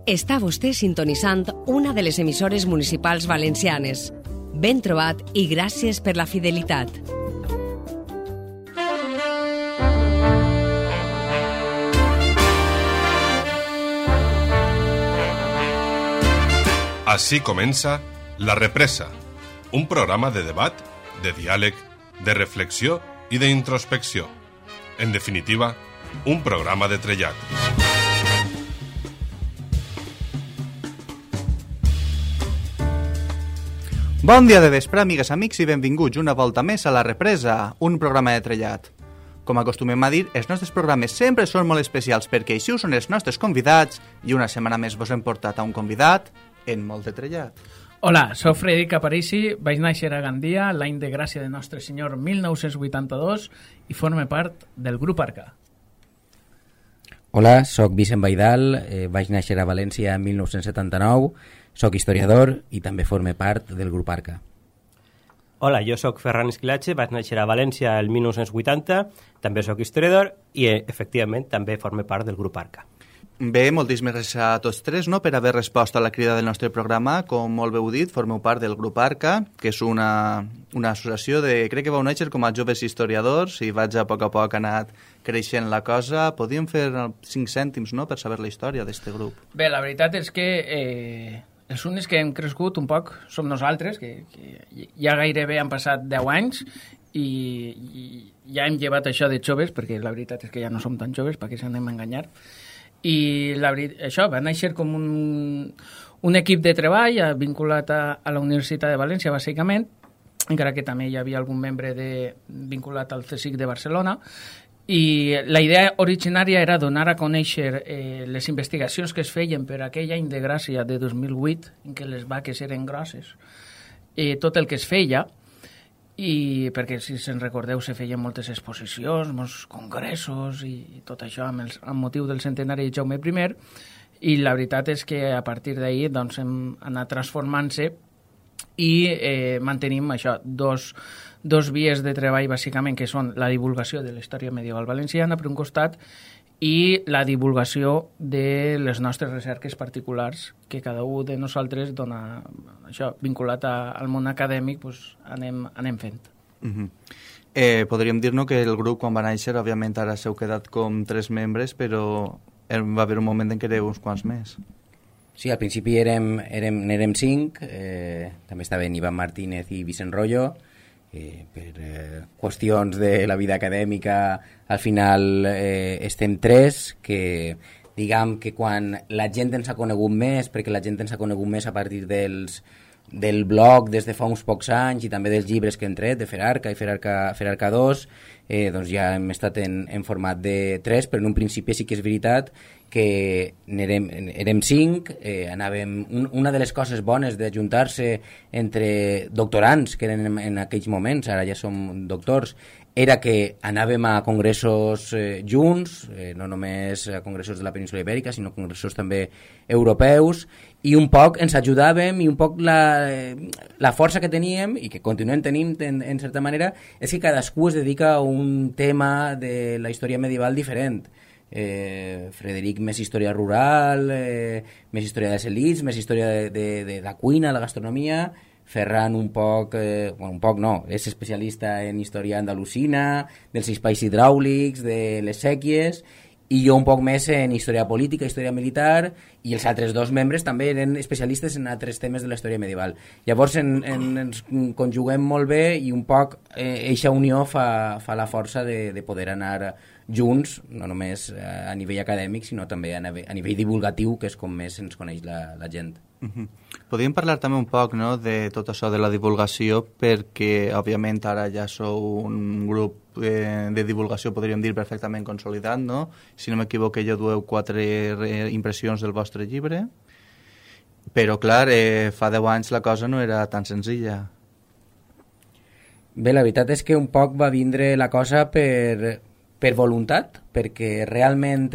Està vostè sintonitzant una de les emissores municipals valencianes. Ben trobat i gràcies per la fidelitat. Així comença La Represa, un programa de debat, de diàleg, de reflexió i d'introspecció. En definitiva, un programa de trellat. Bon dia de vespre, amigues, amics, i benvinguts una volta més a La Represa, un programa de trellat. Com acostumem a dir, els nostres programes sempre són molt especials perquè així ho són els nostres convidats i una setmana més vos hem portat a un convidat en molt de trellat. Hola, soc Frederic Aparici, vaig néixer a Gandia l'any de gràcia de Nostre Senyor 1982 i forme part del grup Arca. Hola, soc Vicent Baidal, vaig néixer a València en 1979, soc historiador i també forme part del grup Arca. Hola, jo sóc Ferran Esquilache, vaig néixer a València el 1980, també sóc historiador i, efectivament, també forme part del grup Arca. Bé, moltíssimes gràcies a tots tres, no?, per haver respost a la crida del nostre programa. Com molt bé heu dit, formeu part del grup Arca, que és una associació de... Crec que vau néixer com a joves historiadors i vaig a poc anat creixent la cosa. Podríem fer 5 cèntims, no?, per saber la història d'aquest grup. Bé, la veritat és que els únics que hem crescut un poc som nosaltres, que ja gairebé han passat 10 anys i ja hem llevat això de joves, perquè la veritat és que ja no som tan joves, perquè s'anem a enganyar. I això va néixer com un equip de treball vinculat a la Universitat de València, bàsicament, encara que també hi havia algun membre vinculat al CSIC de Barcelona. I la idea originària era donar a conèixer les investigacions que es feien per aquell any de gràcia de 2008, en què les vaques eren grosses, tot el que es feia, i perquè, si se'n recordeu, se feien moltes exposicions, molts congressos i tot això amb motiu del centenari de Jaume I, i la veritat és que a partir d'ahir doncs, hem anat transformant-se i mantenim això, dos vies de treball, bàsicament, que són la divulgació de la història medieval valenciana, per un costat, i la divulgació de les nostres recerques particulars que cada un de nosaltres dona, això, vinculat al món acadèmic, doncs anem fent. Podríem dir-nos que el grup, quan va néixer, òbviament ara s'heu quedat com 3 membres, però va haver un moment en què éreu uns quants més. Sí, al principi érem 5, també estaven Ivan Martínez i Vicent Rollo, per qüestions de la vida acadèmica al final estem 3, que diguem que quan la gent ens ha conegut més, perquè la gent ens ha conegut més a partir del blog des de fa uns pocs anys i també dels llibres que hem tret, de Ferarca i Ferarca 2, doncs ja hem estat en format de 3, però en un principi sí que és veritat que érem 5, anàvem... Una de les coses bones d'ajuntar-se entre doctorants, que eren en aquells moments, ara ja som doctors, era que anàvem a congressos junts, no només a congressos de la península Ibèrica, sinó congressos també europeus, i un poc ens ajudàvem i un poc la força que teníem, i que continuem tenint en certa manera, és que cadascú es dedica a un tema de la història medieval diferent. Frederic més història rural, més història de les elits, més història de la cuina, la gastronomia. Ferran un poc no, és especialista en història andalusina, dels espais hidràulics, de les sèquies, i jo un poc més en història política, història militar, i els altres 2 membres també eren especialistes en altres temes de la història medieval. Llavors ens conjuguem molt bé i un poc eixa unió fa la força de poder anar junts, no només a nivell acadèmic, sinó també a nivell divulgatiu, que és com més ens coneix la gent. Podríem parlar també un poc, no?, de tot això de la divulgació, perquè òbviament ara ja sou un grup de divulgació, podríem dir, perfectament consolidat, no? Si no m'equivoco, ja dueu 4 impressions del vostre llibre, però clar, fa 10 anys la cosa no era tan senzilla. Bé, la veritat és que un poc va vindre la cosa per voluntat, perquè realment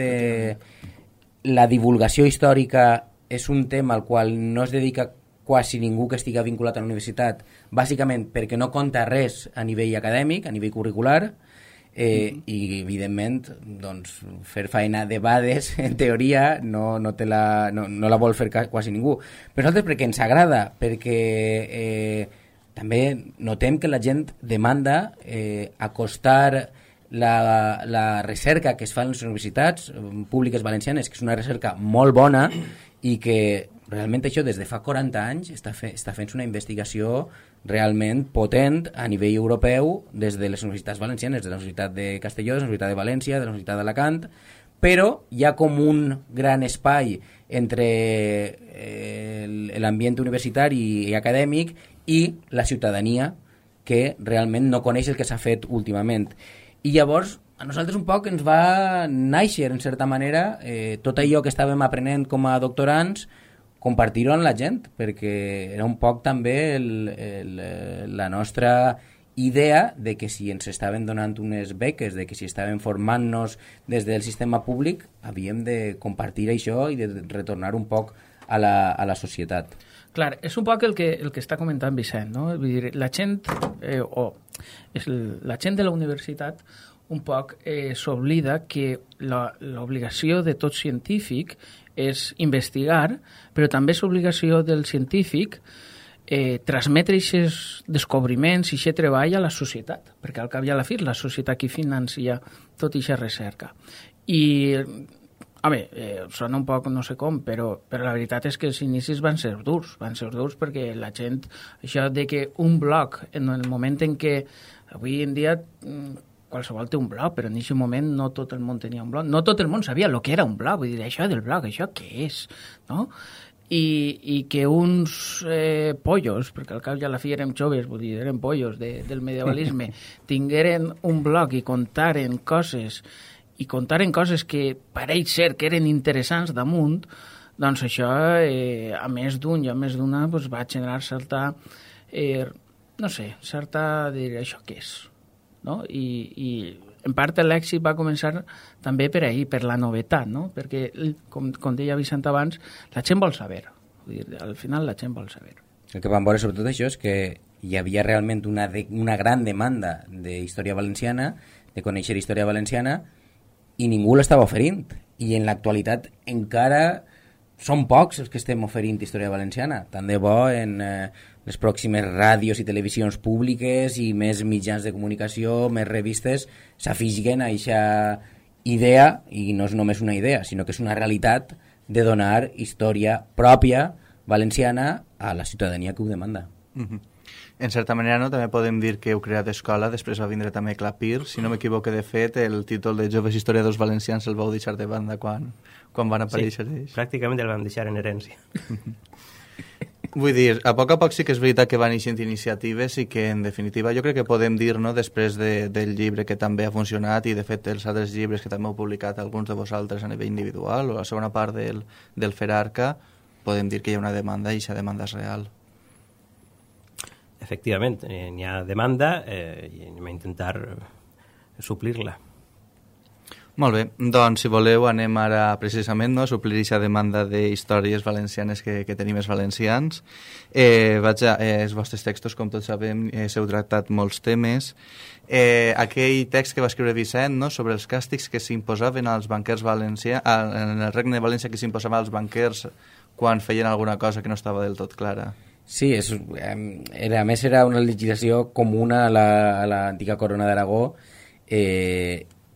la divulgació històrica és un tema al qual no es dedica quasi ningú que estigui vinculat a la universitat, bàsicament perquè no compta res a nivell acadèmic, a nivell curricular, i evidentment doncs, fer feina de bades en teoria no la vol fer quasi ningú, però nosaltres perquè ens agrada, perquè també notem que la gent demanda acostar la recerca que es fa en les universitats públiques valencianes, que és una recerca molt bona i que realment això des de fa 40 anys està fent una investigació realment potent a nivell europeu des de les universitats valencianes, de la Universitat de Castelló, de la Universitat de València, de la Universitat d'Alacant, però hi ha com un gran espai entre l'ambient universitari i acadèmic i la ciutadania que realment no coneix el que s'ha fet últimament. I llavors a nosaltres un poc ens va néixer, en certa manera, tot allò que estàvem aprenent com a doctorants, compartir-ho amb la gent, perquè era un poc també la nostra idea de que si ens estaven donant unes beques, de que si estaven formant-nos des del sistema públic, havíem de compartir això i de retornar un poc a la societat. Clar, és un poc el que està comentant Vicent, no? Vull dir, la gent, la gent de la universitat un poc s'oblida que l'obligació de tot científic és investigar, però també és obligació del científic transmetre aquests descobriments i aquest treball a la societat, perquè al cap i a la fi la societat qui financia tota aquesta recerca. I, sona un poc no sé com, però la veritat és que els inicis van ser durs perquè la gent, això de que un blog, en el moment en què avui en dia qualsevol té un blog, però en aquest moment no tot el món tenia un blog, no tot el món sabia el que era un blog, vull dir, això del blog, això què és, no? I que uns pollos, perquè al cap i a la fi érem joves, vull dir, érem pollos del medievalisme, tingueren un blog i contaren coses que pareix ser que eren interessants damunt, doncs això, a més d'un i a més d'una, doncs va generar certa, dir, això què és? No? I en part l'èxit va començar també per ahir, per la novetat, no? Perquè, com deia Vicent abans, la gent vol saber. Vull dir, al final la gent vol saber. El que vam veure sobretot això és que hi havia realment una gran demanda d'història valenciana, de conèixer història valenciana, i ningú l'estava oferint. I en l'actualitat encara són pocs els que estem oferint història valenciana. Tant de bo en les pròximes ràdios i televisions públiques i més mitjans de comunicació, més revistes, s'afiguen a aquesta idea, i no és només una idea, sinó que és una realitat de donar història pròpia valenciana a la ciutadania que ho demanda. En certa manera, no? També podem dir que heu creat escola, després va vindre també Clapir. Si no m'equivoque, de fet, el títol de Joves Historiadors Valencians el vau deixar de banda quan van aparèixer ells. Sí, pràcticament el vam deixar en herència. Vull dir, a poc sí que és veritat que van eixint iniciatives i que, en definitiva, jo crec que podem dir, no?, després del llibre que també ha funcionat i, de fet, els altres llibres que també heu publicat alguns de vosaltres a nivell individual o la segona part del Ferarca, podem dir que hi ha una demanda i aquesta demanda és real. Efectivament, n'hi ha demanda i anem a intentar suplir-la. Molt bé, doncs si voleu anem ara precisament, no, a suplir aquesta demanda d'històries valencianes que tenim els valencians. Els vostres textos, com tots sabem, s'heu tractat molts temes. Aquell text que va escriure Vicent, no, sobre els càstigs que s'imposaven als banquers valencians, en el Regne de València que s'imposaven als banquers quan feien alguna cosa que no estava del tot clara. Sí, a més era una legislació comuna a l'antiga Corona d'Aragó,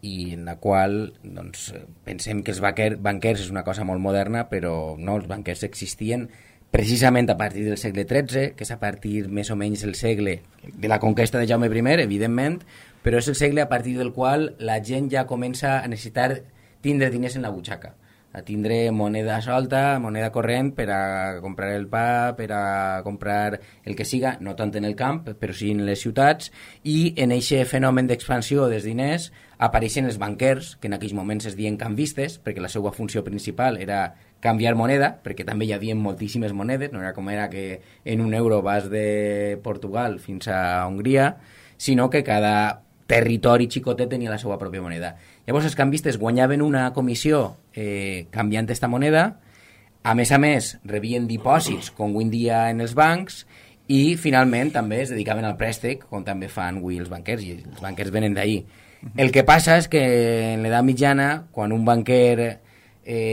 i en la qual doncs, pensem que els banquers és una cosa molt moderna, però no, els banquers existien precisament a partir del segle XIII, que és a partir més o menys el segle de la conquesta de Jaume I, evidentment, però és el segle a partir del qual la gent ja comença a necessitar tindre diners en la butxaca, a tindre moneda solta, moneda corrent per a comprar el pa, per a comprar el que siga, no tant en el camp, però sí en les ciutats, i en aquest fenomen d'expansió dels diners apareixen els banquers, que en aquells moments es diuen canvistes, perquè la seva funció principal era canviar moneda, perquè també hi havia moltíssimes monedes, no era com era que en un euro vas de Portugal fins a Hongria, sinó que cada territori xicotet tenia la seva pròpia moneda. Llavors els canvistes guanyaven una comissió canviant aquesta moneda, a més, rebien dipòsits com avui en dia en els bancs, i finalment també es dedicaven al préstec, com també fan avui els banquers, i els banquers venen d'ahir. El que passa és que en l'edat mitjana, quan un banquer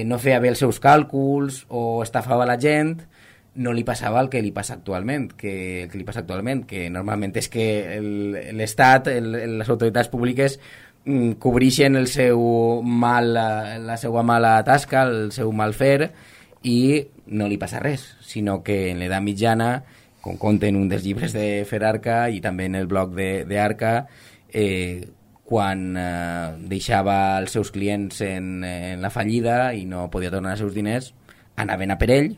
no feia bé els seus càlculs o estafava la gent, no li passava el que li passa actualment, que normalment és que l'Estat, les autoritats públiques cobreixen la seva mala tasca, el seu mal fer, i no li passa res, sinó que en l'edat mitjana, com conten un dels llibres de Ferarca i també en el blog d'Arca, quan deixava els seus clients en la fallida i no podia tornar els seus diners, anaven a per ell,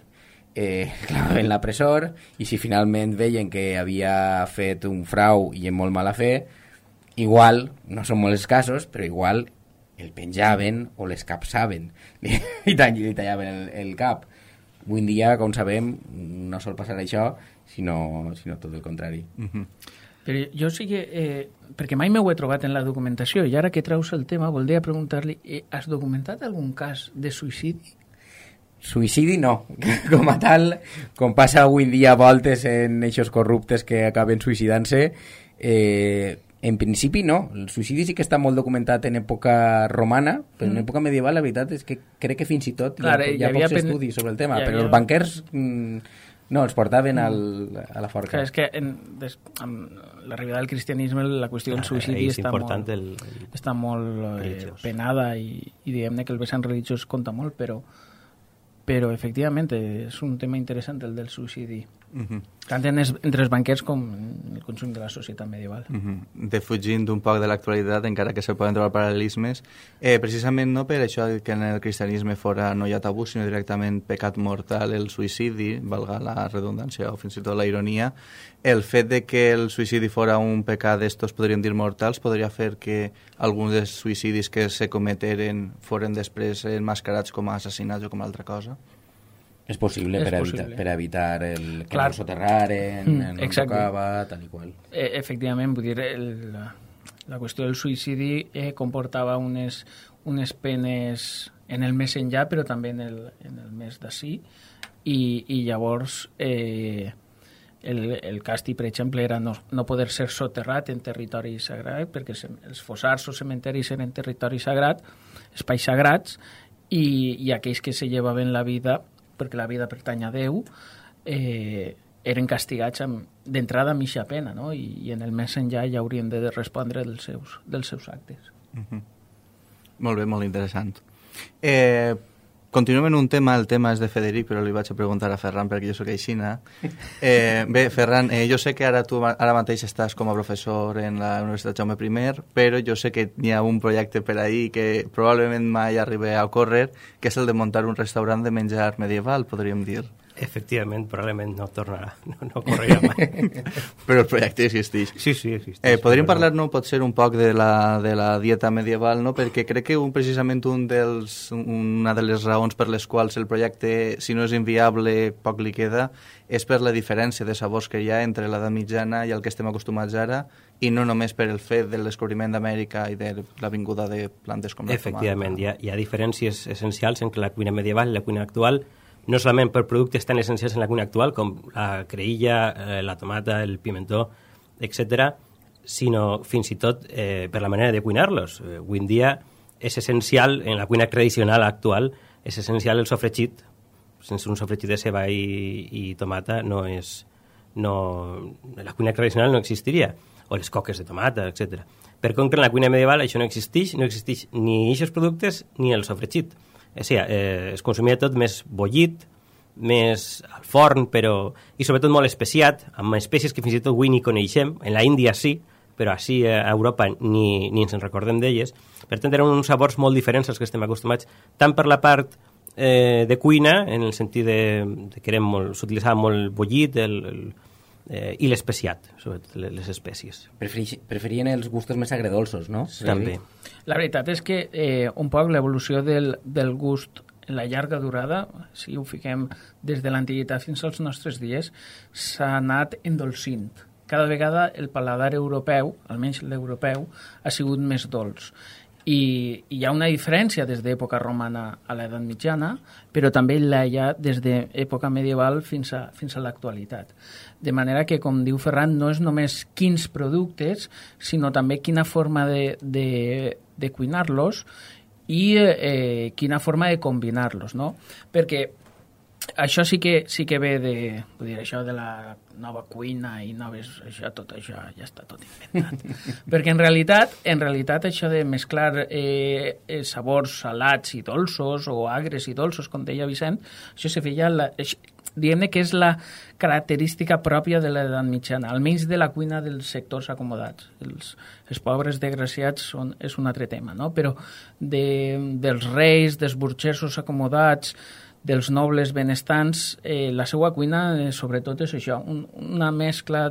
clavaven la presor, i si finalment veien que havia fet un frau i en molt mala fe, igual, no són molts casos, però igual el penjaven o l'escapçaven i tallaven el cap. Avui en dia, com sabem, no sol passar això, sinó tot el contrari. Però jo sí que, perquè mai m'ho he trobat en la documentació, i ara que traus el tema, voldria preguntar-li, has documentat algun cas de suïcidi? Suïcidi no, com a tal, com passa avui en dia a voltes en eixos corruptes que acaben suïcidant-se, en principi no. El suïcidi sí que està molt documentat en època romana, però en època medieval la veritat és que crec que fins i tot hi ha pocs estudis sobre el tema, però els banquers no, els portaven a la forca. Clar, és que amb l'arribada del cristianisme la qüestió del suïcidi està molt penada i diguem-ne que el vessant religiós compta molt, però efectivament és un tema interessant el del suïcidi, tant entre els banquers com el conjunt de la societat medieval. Defugint un poc de l'actualitat, encara que se poden trobar paral·lelismes, precisament no per això que en el cristianisme fora no hi ha tabú, sinó directament pecat mortal el suïcidi, valga la redundància o fins i tot la ironia, el fet de que el suïcidi fora un pecat d'estos, podríem dir mortals, podria fer que alguns dels suïcidis que se cometeren foren després enmascarats com a assassinats o com a altra cosa? És possible, per evitar que no soterraren, no tocava, tal i qual. Efectivament, vull dir, la qüestió del suïcidi comportava unes penes en el més enllà, però també en el més d'ací, i llavors el càstig, per exemple, era no poder ser soterrat en territori sagrat, perquè els fossars o cementeris eren territori sagrat, espais sagrats, i aquells que se llevaven la vida, perquè la vida pertany a Déu, eren castigats d'entrada a mitja pena, no? I en el més enllà ja haurien de respondre dels seus actes. Molt bé, molt interessant. Continuem en un tema, el tema és de Federic, però li vaig a preguntar a Ferran perquè jo soc aixina. Bé, Ferran, jo sé que tu ara mateix estàs com a professor en la Universitat Jaume I, però jo sé que hi ha un projecte per ahí que probablement mai arribi a ocórrer, que és el de muntar un restaurant de menjar medieval, podríem dir. Efectivament, probablement no tornarà, no correrà mai. Però el projecte existeix. Sí, existeix. Podríem parlar, no, potser un poc de la dieta medieval, no? Perquè crec que precisament una de les raons per les quals el projecte, si no és inviable, poc li queda, és per la diferència de sabors que hi ha entre l'edat mitjana i el que estem acostumats ara, i no només per el fet del descobriment d'Amèrica i de la vinguda de plantes com la tomata. Efectivament, hi ha diferències essencials entre la cuina medieval i la cuina actual, no solament per productes tan essencials en la cuina actual com la creïlla, la tomata, el pimentó, etc., sinó fins i tot per la manera de cuinar-los. Avui en dia és essencial, en la cuina tradicional actual, és essencial el sofregit. Sense un sofregit de ceba i tomata la cuina tradicional no existiria, o les coques de tomata, etc. Per contra, en la cuina medieval això no existeix ni aquests productes ni el sofregit. O sigui, es consumia tot més bullit, més al forn, i sobretot molt especiat, amb espècies que fins i tot avui ni coneixem. En la Índia sí, però així a Europa ni ens en recordem d'elles. Per tant, eren uns sabors molt diferents als que estem acostumats, tant per la part de cuina, en el sentit que s'utilitzava molt bullit i l'especiat, sobretot les espècies. Preferien els gustos més agredolços, no? També. La veritat és que un poc l'evolució del gust en la llarga durada, si ho fiquem des de l'antiguitat fins als nostres dies, s'ha anat endolcint. Cada vegada el paladar europeu, almenys l'europeu, ha sigut més dolç. I hi ha una diferència des d'època romana a l'edat mitjana, però també hi ha des d'època medieval fins a l'actualitat. De manera que, com diu Ferran, no és només quins productes, sinó també quina forma de cuinar-los i quina forma de combinar-los, no? Perquè això sí que ve vull dir, això de la nova cuina i tot això ja està tot inventat. Perquè en realitat això de mesclar sabors salats i dolços o agres i dolços, com deia Vicent, això se feia, diguem-ne que és la característica pròpia de l'edat mitjana, almenys de la cuina dels sectors acomodats. Els pobres desgraciats és un altre tema, no? Però dels reis, dels burgesos acomodats, dels nobles benestants, la seva cuina sobretot és això, una mescla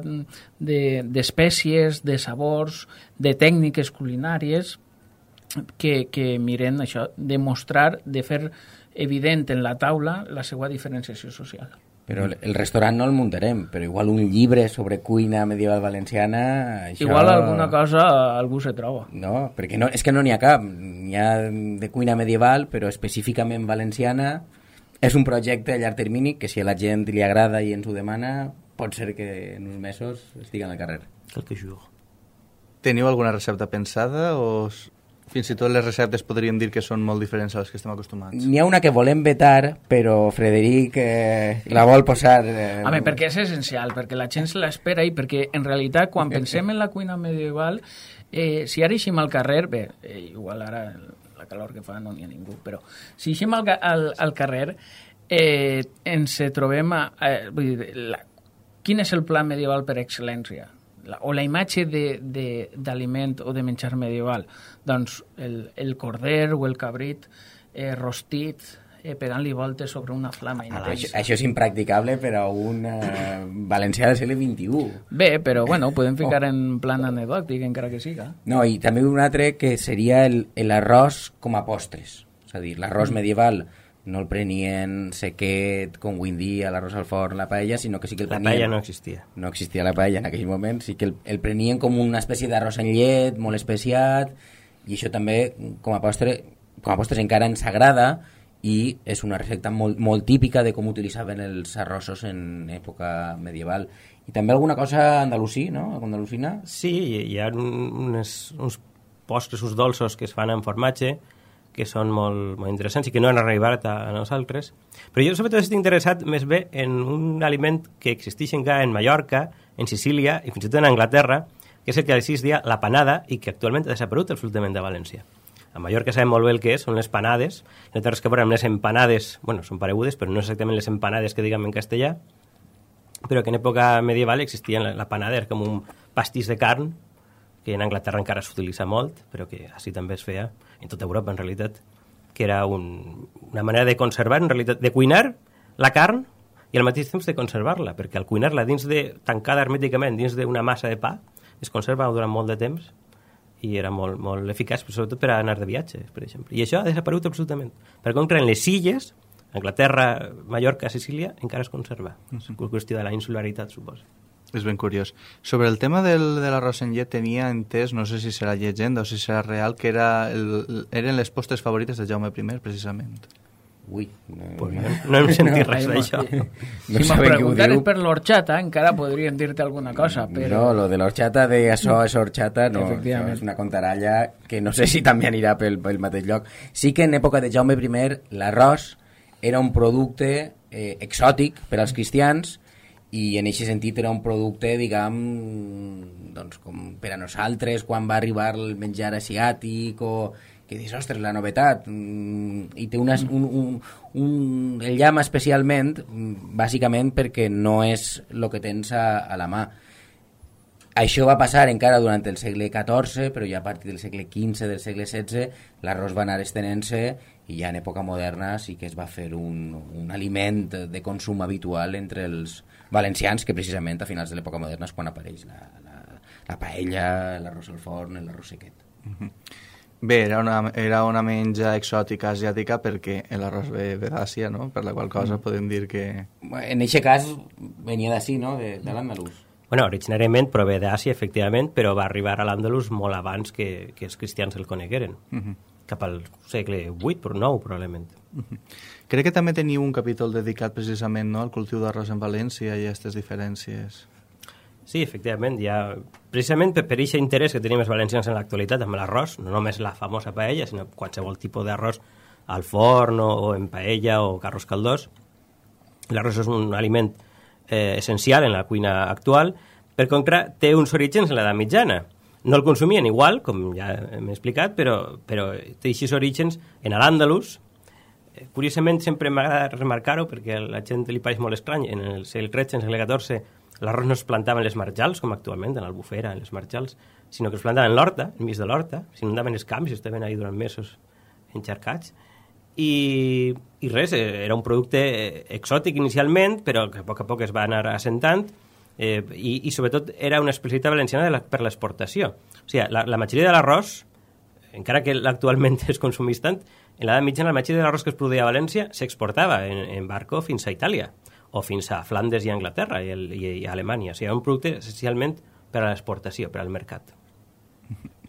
d'espècies, de sabors, de tècniques culinàries que miren això, de mostrar, de fer evident en la taula la seva diferenciació social. Però el restaurant no el muntarem, però igual un llibre sobre cuina medieval valenciana... Això... Igual alguna cosa algú se troba. No, perquè no, és que no n'hi ha cap. N'hi ha de cuina medieval, però específicament valenciana. És un projecte a llarg termini que si a la gent li agrada i ens ho demana, pot ser que en uns mesos estigui al carrer. Quelque jour. Teniu alguna recepta pensada o fins i tot les receptes podríem dir que són molt diferents a les que estem acostumats? N'hi ha una que volem vetar, però Frederic la vol posar... Home, perquè és essencial, perquè la gent se l'espera i perquè en realitat quan pensem en la cuina medieval, si ara eixim al carrer, bé, igual ara... la calor que fa no n'hi ha ningú, però si eixim al carrer ens trobem vull dir, quin és el pla medieval per excel·lència? O la imatge d'aliment o de menjar medieval? Doncs el corder o el cabrit rostit pegant-li voltes sobre una flama intensa. Això és impracticable per a un valencià del segle XXI. Bé, però bueno, ho podem ficar en plan anecdòtic, encara que siga. No, i també un altre que seria l'arròs com a postres. És a dir, l'arròs medieval no el prenien sequet, com avui en dia, l'arròs al forn, la paella, sinó que sí que el prenien... La paella no existia. No existia la paella en aquell moment, sí que el prenien com una espècie d'arròs en llet, molt especiat, i això també, com a postres encara ens agrada, i és una recepta molt típica de com utilitzaven els arrossos en època medieval. I també alguna cosa andalusí, no? Andalusina? Sí, hi ha uns postres, uns dolços que es fan amb formatge, que són molt interessants i que no han arribat a nosaltres. Però jo sobretot estic interessat més bé en un aliment que existeix encara en Mallorca, en Sicília i fins i tot en Anglaterra, que és el que es deia la panada i que actualment ha desaparegut absolutament de València. A Mallorca sabem molt bé el que és, són les panades, no té res que veure amb les empanades, bueno, són paregudes, però no exactament les empanades que diguem en castellà, però que en època medieval existia la panada, era com un pastís de carn, que en Anglaterra encara s'utilitza molt, però que així també es feia en tota Europa, en realitat, que era una manera de conservar, en realitat, de cuinar la carn i al mateix temps de conservar-la, perquè al cuinar-la tancada hermèticament dins d'una massa de pa, es conserva durant molt de temps, i era molt eficaç, sobretot per anar de viatge, per exemple. I això ha desaparegut absolutament. Per contra, en les illes, Anglaterra, Mallorca, Sicília, encara es conserva. És qüestió de la insularitat, suposo. És ben curiós. Sobre el tema de l'arròs en llet tenia entès, no sé si serà llegenda o si serà real, que eren les postres favorites de Jaume I, precisament. Ui, no hem sentit res d'això. Si me preguntares per l'orxata, encara podríem dir-te alguna cosa, però... No, lo de l'orxata de això és orxata, no, això és una contaralla que no sé si també anirà pel mateix lloc. Sí que en època de Jaume I l'arròs era un producte exòtic per als cristians i en aquest sentit era un producte, diguem, doncs, com per a nosaltres quan va arribar el menjar asiàtic o... que dius, ostres, la novetat, i té el llamp especialment, bàsicament perquè no és el que tens a la mà. Això va passar encara durant el segle XIV, però ja a partir del segle XV, del segle XVI, l'arròs va anar estenent-se i ja en època moderna sí que es va fer un aliment de consum habitual entre els valencians, que precisament a finals de l'època moderna és quan apareix la paella, l'arròs al forn, l'arròs sequet. Bé, era una menja exòtica asiàtica perquè l'arròs ve d'Àsia, no? Per la qual cosa podem dir que... En aquest cas venia d'ací, no? De l'andalús. Bueno, originàriament prové d'Àsia, efectivament, però va arribar a l'Àndalus molt abans que els cristians el conegueren. Cap al segle VIII, però IX, probablement. Crec que també teniu un capítol dedicat precisament, no?, al cultiu d'arròs en València i a aquestes diferències. Sí, efectivament, precisament per aquest interès que tenim els valencians en l'actualitat amb l'arròs, no només la famosa paella, sinó qualsevol tipus d'arròs al forn o en paella o arròs caldós. L'arròs és un aliment essencial en la cuina actual, perquè encara té uns orígens en l'edat mitjana. No el consumien igual, com ja hem explicat, però té aquests orígens en l'Àndalus. Curiosament, sempre m'agrada remarcar-ho, perquè a la gent li pareix molt estrany. En el segle XIII, en el segle XIV, l'arròs no es plantava en les marjals, com actualment, en l'Albufera, en les marjals, sinó que es plantava en l'horta, enmig de l'horta, s'inundaven els camps i estaven ahí durant mesos encharcats. I res, era un producte exòtic inicialment, però que a poc es va anar assentant, i sobretot era una especialitat valenciana per l'exportació. O sigui, la majoria de l'arròs, encara que actualment es consumís tant, en l'edat mitjana la majoria de l'arròs que es produïa a València s'exportava en barco fins a Itàlia, o fins a Flandes i Anglaterra i a Alemanya. O sigui, era un producte essencialment per a l'exportació, per al mercat.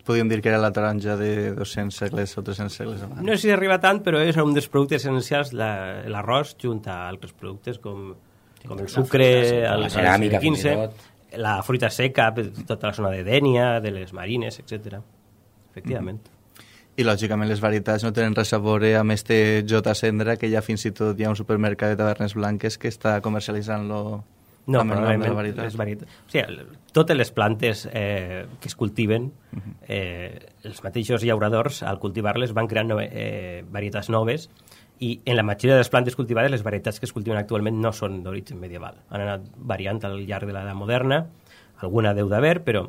Podríem dir que era la taronja de 200 segles o 300 segles abans. No sé si arriba tant, però és un dels productes essencials, l'arròs, junt a altres productes com el sucre, la ceràmica, fins i tot. La fruita seca, tota la zona de Dénia, de les marines, etc. Efectivament. I, lògicament, les varietats no tenen res a veure amb este J. Cendra, que ja fins i tot hi ha un supermercat de tavernes blanques que està comercialitzant-lo. No, probablement les varietats. O sigui, totes les plantes que es cultiven, els mateixos llauradors, al cultivar-les, van creant varietats noves, i en la majoria de les plantes cultivades, les varietats que es cultiven actualment no són d'origen medieval. Han anat variant al llarg de l'edat moderna, alguna deu d'haver, però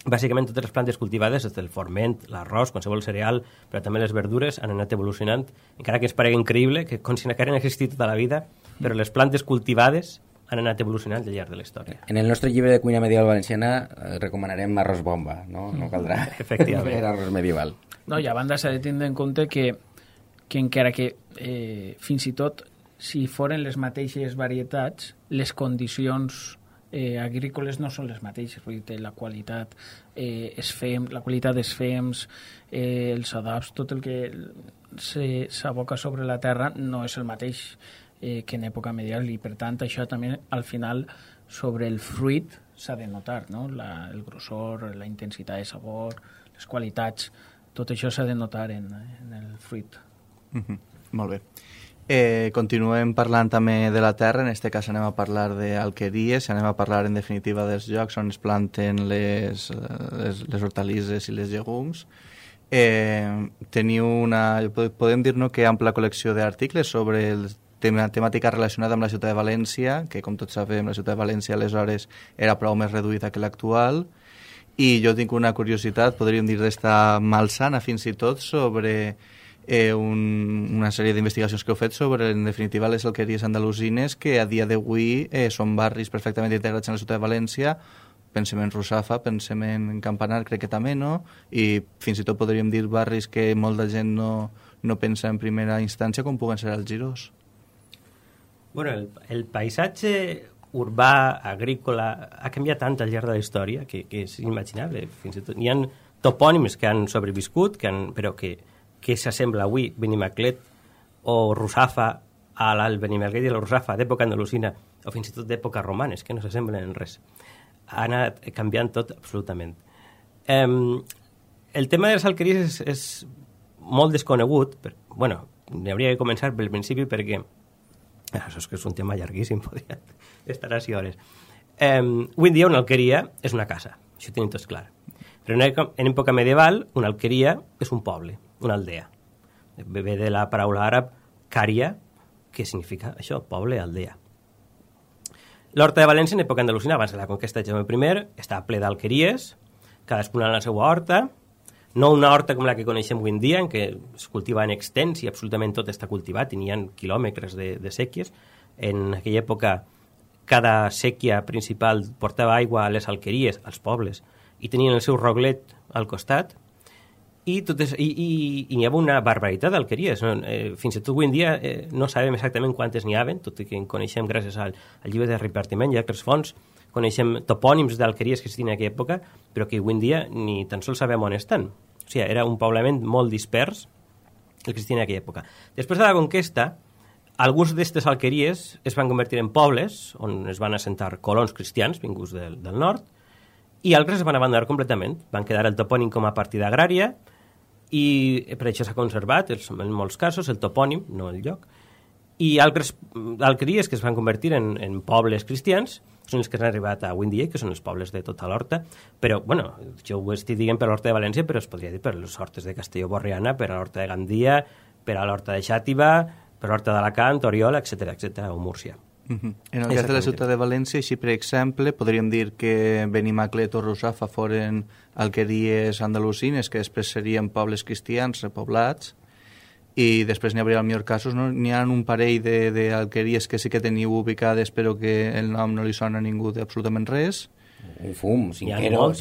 bàsicament totes les plantes cultivades, des del forment, l'arròs, qualsevol cereal, però també les verdures, han anat evolucionant, encara que es paregui increïble, que com si n'hagueren existit tota la vida, però les plantes cultivades han anat evolucionant al llarg de la història. En el nostre llibre de cuina medieval valenciana recomanarem arròs bomba, no? No caldrà fer arròs medieval. No, i a banda s'ha de tindre en compte que encara que fins i tot si foren les mateixes varietats, les condicions agrícoles no són les mateixes, vull dir, la qualitat la qualitat dels fems, els adobs, tot el que s'aboca sobre la terra no és el mateix que en època medieval, i per tant això també al final sobre el fruit s'ha de notar, no? El grossor, la intensitat de sabor, les qualitats, tot això s'ha de notar en el fruit. Molt bé. Continuem parlant també de la terra, en aquest cas anem a parlar d'alqueries, anem a parlar en definitiva dels llocs on es planten les hortalisses i les llegums. Teniu podem dir-nos que ampla col·lecció d'articles sobre temàtica relacionada amb la ciutat de València, que com tots sabem la ciutat de València aleshores era prou més reduïda que l'actual, i jo tinc una curiositat, podríem dir d'estar malsana fins i tot, sobre una sèrie d'investigacions que heu fet sobre, en definitiva, les alqueries andalusines, que a dia d'avui són barris perfectament integrats en la ciutat de València. Pensem en Russafa, pensem en Campanar, crec que també, no? I fins i tot podríem dir barris que molta gent no pensa en primera instància, com puguen ser els Girós. Bueno, el paisatge urbà, agrícola, ha canviat tant al llarg de la història que és inimaginable. Fins i tot hi ha topònims que han sobreviscut, però que s'assembla avui Benimaclet o Russafa al Benimaclet i la Russafa d'època andalusina, o fins i tot d'època romanes, que no s'assemblen en res. Ha anat canviant tot absolutament. El tema de les alqueries és molt desconegut. Bueno, n'hauria de començar pel principi perquè això és que és un tema llarguíssim, podria estar així hores. Avui en dia una alqueria és una casa, això ho tenim tots clar. Però en època medieval una alqueria és un poble, una aldea. Ve de la paraula àrab cària, que significa això, poble, aldea. L'horta de València en època andalusina, abans de la conquesta de Jaume I, estava ple d'alqueries, cadascuna en la seva horta, no una horta com la que coneixem avui en dia, en què es cultiva en extens i absolutament tot està cultivat, i n'hi ha quilòmetres de sèquies. En aquella època, cada sèquia principal portava aigua a les alqueries, als pobles, i tenien el seu roglet al costat, i hi havia una barbaritat d'alqueries. Fins i tot avui en dia no sabem exactament quantes n'hi havia, tot i que en coneixem gràcies al llibre de repartiment i altres fonts, coneixem topònims d'alqueries que existien en aquella època, però que avui en dia ni tan sols sabem on estan. O sigui, era un poblament molt dispers el que existia en aquella època. Després de la conquesta, alguns d'aquestes alqueries es van convertir en pobles on es van assentar colons cristians vinguts del nord, i altres es van abandonar completament. Van quedar el topònim com a partida agrària, i per això s'ha conservat, en molts casos, el topònim, no el lloc, i altres alqueries que es van convertir en pobles cristians són els que han arribat a avui en dia, que són els pobles de tota l'Horta, però, bueno, jo ho estic dient per l'Horta de València, però es podria dir per les hortes de Castelló-Borriana, per a l'Horta de Gandia, per a l'Horta de Xàtiva, per l'Horta d'Alacant, Oriola, etc., o Múrcia. En el cas de la ciutat de València, així per exemple, podríem dir que Benimaclet o Russafa foren alqueries andalusines que després serien pobles cristians repoblats, i després n'hi hauria, al millor casos, no? N'hi ha un parell d'alqueries que sí que teniu ubicades però que el nom no li sona a ningú d'absolutament res. Un fum, Cinqueros,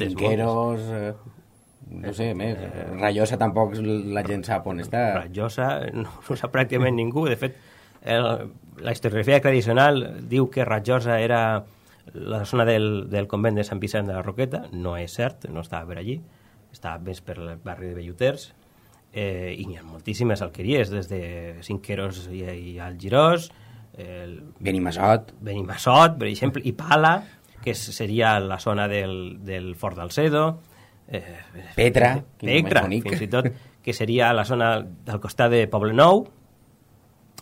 no sé, més. Rajosa tampoc la gent sap on està. Rajosa no sap pràcticament ningú. De fet, la historiografia tradicional diu que Rajosa era la zona del convent de Sant Vicent de la Roqueta. No és cert, no estava per allí, estava més per el barri de Belluters, i n'hi ha moltíssimes alqueries, des de Cinqueros i Algirós, Benimassot, per exemple, i Pala, que seria la zona del Fort d'Alcedo, Petra, fins i tot, que seria la zona del costat de Poblenou,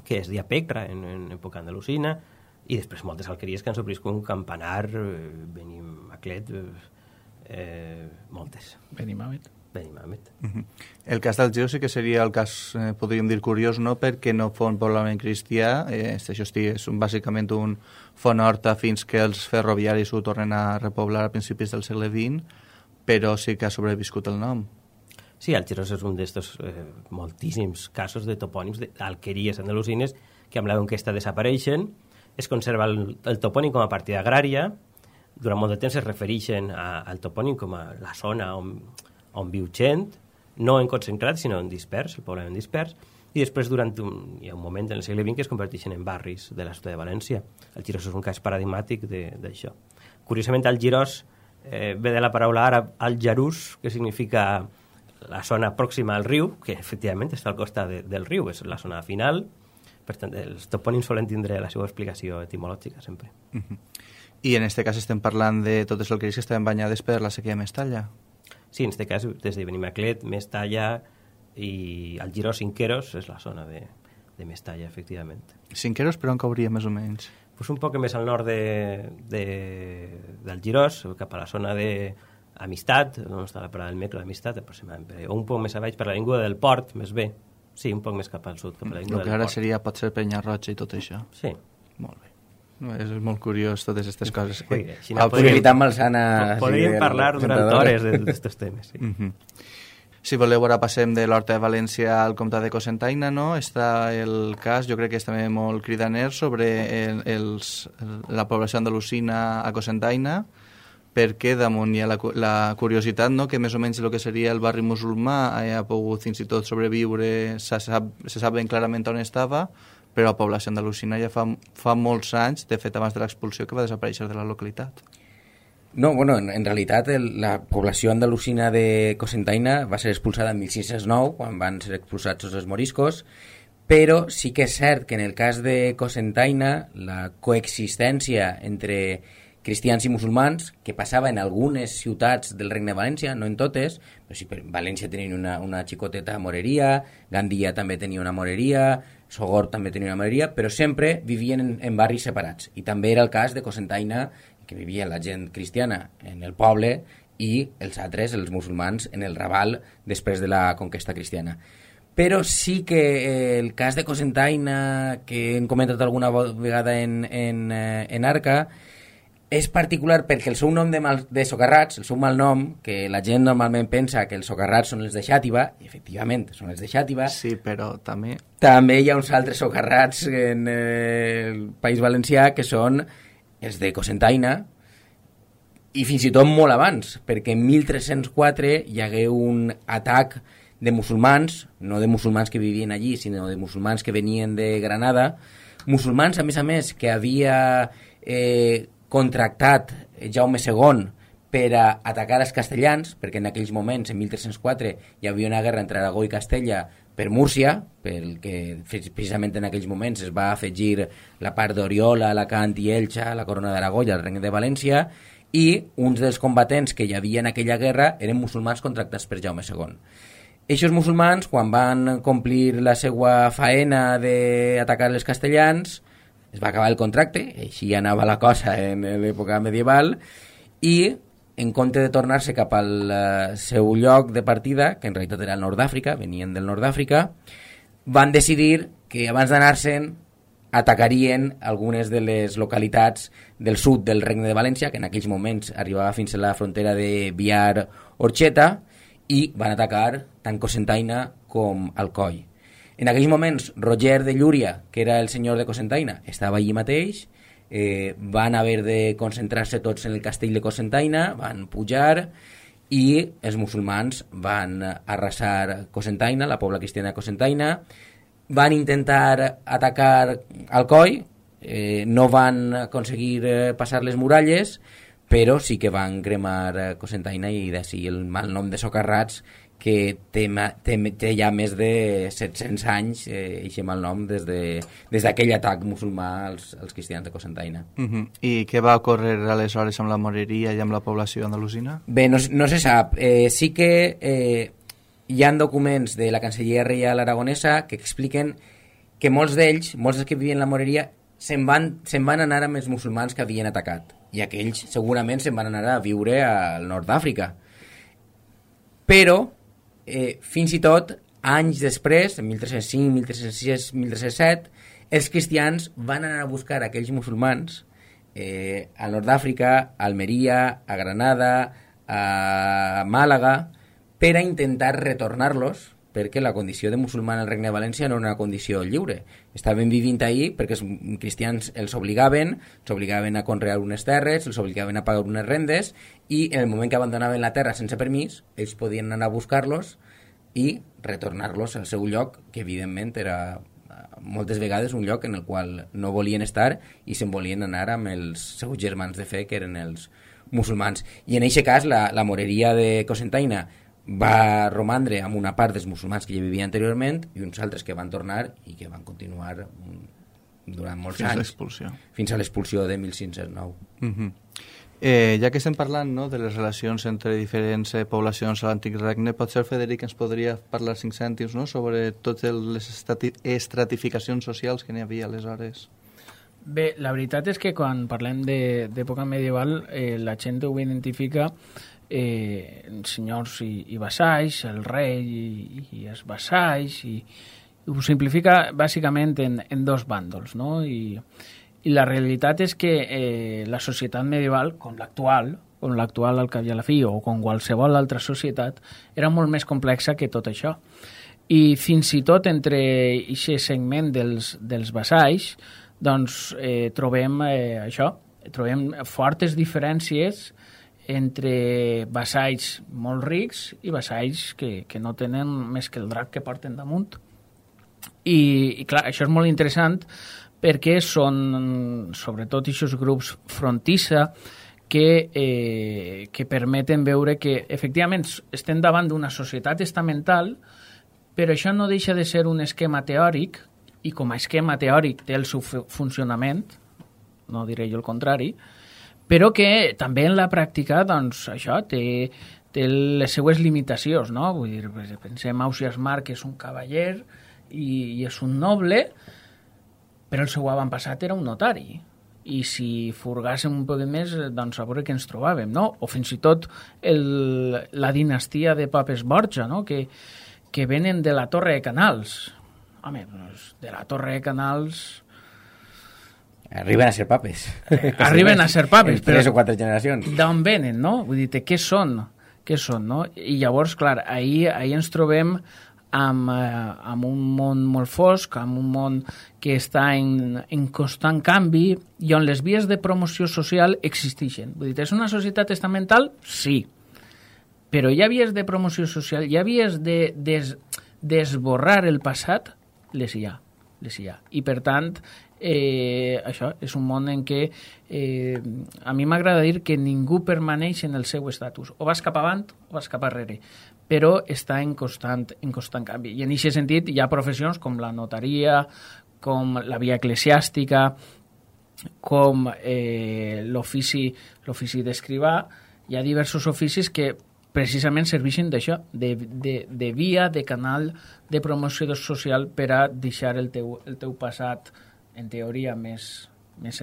que es deia Petra en època andalusina, i després moltes alqueries que han sobreviscut, Campanar, Benimaclet, moltes. Benimamet. El cas d'Algirós sí que seria el cas, podríem dir, curiós, no? Perquè no fou un poblament cristià, això és bàsicament un font horta fins que els ferroviaris ho tornen a repoblar a principis del segle XX, però sí que ha sobreviscut el nom. Sí, Algirós és un d'estos moltíssims casos de topònims d'alqueries andalusines que amb la conquesta desapareixen. Es conserva el topònim com a partida agrària. Durant molt de temps es refereixen al topònim com a la zona on viu gent, no en concentrat, sinó en dispers, el poblament dispers, i després hi ha un moment en el segle XX que es converteixen en barris de la ciutat de València. Algirós és un cas paradigmàtic d'això. Curiosament, Algirós ve de la paraula àrab al-Jarús, que significa la zona pròxima al riu, que efectivament està al costat del riu, és la zona final. Per tant, els topònims solen tindre la seva explicació etimològica sempre. I en aquest cas estem parlant de totes les alqueries que estaven banyades per la sequia de Mestalla. Sí, en aquest cas, des de Benimaclet, Mestalla i Algirós, Cinqueros, és la zona de Mestalla, efectivament. Cinqueros, però on cauria més o menys? Pues un poc més al nord d'Algirós, cap a la zona d'Amistat, on està la parada del metro d'Amistat, aproximadament, o un poc més avall per l'avinguda del Port, més bé. Sí, un poc més cap al sud, cap a l'avinguda del Port. El que ara seria, pot ser Penyarroja i tot això. Sí. Molt bé. És molt curiós totes aquestes coses. Podríem parlar durant hores d'aquests temes. Sí. Si voleu, ara passem de l'Horta de València al comtat de Cocentaina, no? Està el cas, jo crec que és també molt cridaner, sobre la població andalusina a Cocentaina, perquè damunt hi ha la curiositat, no?, que més o menys el que seria el barri musulmà ha pogut fins i tot sobreviure, se sap ben clarament on estava, però la població andalusina ja fa molts anys, de fet abans de l'expulsió, que va desaparèixer de la localitat. No, bueno, en realitat la població andalusina de Cocentaina va ser expulsada en 1609, quan van ser expulsats els moriscos, però sí que és cert que en el cas de Cocentaina la coexistència entre cristians i musulmans, que passava en algunes ciutats del Regne de València, no en totes, però sí, València tenia una xicoteta moreria, Gandia també tenia una moreria, Sogorb també tenia una moreria, però sempre vivien en barris separats. I també era el cas de Cocentaina, que vivia la gent cristiana en el poble i els altres, els musulmans, en el Raval després de la conquesta cristiana. Però sí que el cas de Cocentaina, que hem comentat alguna vegada en Arca, és particular perquè el seu nom de socarrats, el seu malnom, que la gent normalment pensa que els socarrats són els de Xàtiva, i efectivament són els de Xàtiva. Sí, però també hi ha uns altres socarrats en el País Valencià que són els de Cocentaina, i fins i tot molt abans, perquè en 1304 hi hagué un atac de musulmans, no de musulmans que vivien allí, sinó de musulmans que venien de Granada, musulmans, a més, que havia contractat Jaume II per a atacar els castellans, perquè en aquells moments, en 1304, hi havia una guerra entre Aragó i Castella per Múrcia, perquè precisament en aquells moments es va afegir la part d'Oriola, Alacant i Elxa, la corona d'Aragó i el regne de València, i uns dels combatents que hi havia en aquella guerra eren musulmans contractats per Jaume II. Eixos musulmans, quan van complir la seva faena d'atacar els castellans, es va acabar el contracte, així anava la cosa en l'època medieval, i en compte de tornar-se cap al seu lloc de partida, que en realitat era el nord d'Àfrica, venien del nord d'Àfrica, van decidir que abans d'anar-se'n atacarien algunes de les localitats del sud del Regne de València, que en aquells moments arribava fins a la frontera de Biar-Orxeta, i van atacar tant Cocentaina com Alcoi. En aquells moments, Roger de Llúria, que era el senyor de Cocentaina, estava allí mateix, van haver de concentrar-se tots en el castell de Cocentaina, van pujar i els musulmans van arrasar Cocentaina, la pobla cristiana de Cocentaina, van intentar atacar Alcoi, no van aconseguir passar les muralles, però sí que van cremar Cocentaina i d'ací el mal nom de socarrats, que té ja més de 700 anys eixe mal nom des d'aquell atac musulmà als cristians de Cocentaina. I què va ocórrer aleshores amb la moreria i amb la població andalusina? Bé, no se sap. Sí que hi ha documents de la Cancelleria Reial Aragonesa que expliquen que molts dels que vivien la moreria se'n van anar amb els musulmans que havien atacat, i aquells segurament se'n van anar a viure al nord d'Àfrica. Però fins i tot anys després, en 1305, 1306, 1307, els cristians van anar a buscar aquells musulmans al nord d'Àfrica, a Almeria, a Granada, a Màlaga, per a intentar retornar-los, perquè la condició de musulmà al Regne de València no era una condició lliure. Estaven vivint ahí perquè els cristians els obligaven a conrear unes terres, els obligaven a pagar unes rendes, i en el moment que abandonaven la terra sense permís, ells podien anar a buscar-los i retornar-los al seu lloc, que evidentment era moltes vegades un lloc en el qual no volien estar i se'n volien anar amb els seus germans de fe, que eren els musulmans. I en aquest cas la moreria de Cocentaina va romandre amb una part dels musulmans que hi vivien anteriorment i uns altres que van tornar i que van continuar durant molts anys. Fins a l'expulsió de 1509. Ja que estem parlant de les relacions entre diferents poblacions a l'antic regne, potser Frederic ens podria parlar 5 cèntims sobre totes les estratificacions socials que n'hi havia aleshores? Bé, la veritat és que quan parlem d'època medieval la gent ho identifica senyors i vassalls, el rei i els vassalls, i ho simplifica bàsicament en dos bàndols, no? I la realitat és que la societat medieval, com l'actual al cap i a la fi, o com qualsevol altra societat, era molt més complexa que tot això. I fins i tot entre aquest segment dels vassalls, doncs trobem trobem fortes diferències entre vassalls molt rics i vassalls que no tenen més que el drac que porten damunt. I clar, això és molt interessant perquè són sobretot aquests grups frontissa que permeten veure que efectivament estem davant d'una societat estamental, però això no deixa de ser un esquema teòric, i com a esquema teòric té el seu funcionament, no diré jo el contrari, però que també en la pràctica doncs, això té les seues limitacions, no? Vull dir, pensem Ausiàs Marc, que és un cavaller i és un noble, però el seu avantpassat era un notari. I si furgàssim un poc més, doncs a veure què ens trobàvem, no? O fins i tot la dinastia de Papes Borja, no? Que venen de la Torre de Canals. Home, doncs, de la Torre de Canals... Arriben a ser papes. Arriben a ser papes, però... 3 o 4 generacions. D'on venen, no? Vull dir, què són, no? I llavors, clar, ahir ens trobem amb un món molt fosc, amb un món que està en constant canvi i on les vies de promoció social existeixen. Vull dir, és una societat estamental? Sí. Però hi ha vies de promoció social, hi ha vies d'esborrar el passat? Les hi ha. les hi ha. I, per tant, això és un món en què a mi m'agrada dir que ningú permaneix en el seu estatus. O vas cap avant o vas cap arrere, però està en constant canvi. I en aquest sentit hi ha professions com la notaria, com la via eclesiàstica, com l'ofici d'escrivà. Hi ha diversos oficis que precisament serveixen d'això, de via, de canal de promoció social per a deixar el teu passat, en teoria, més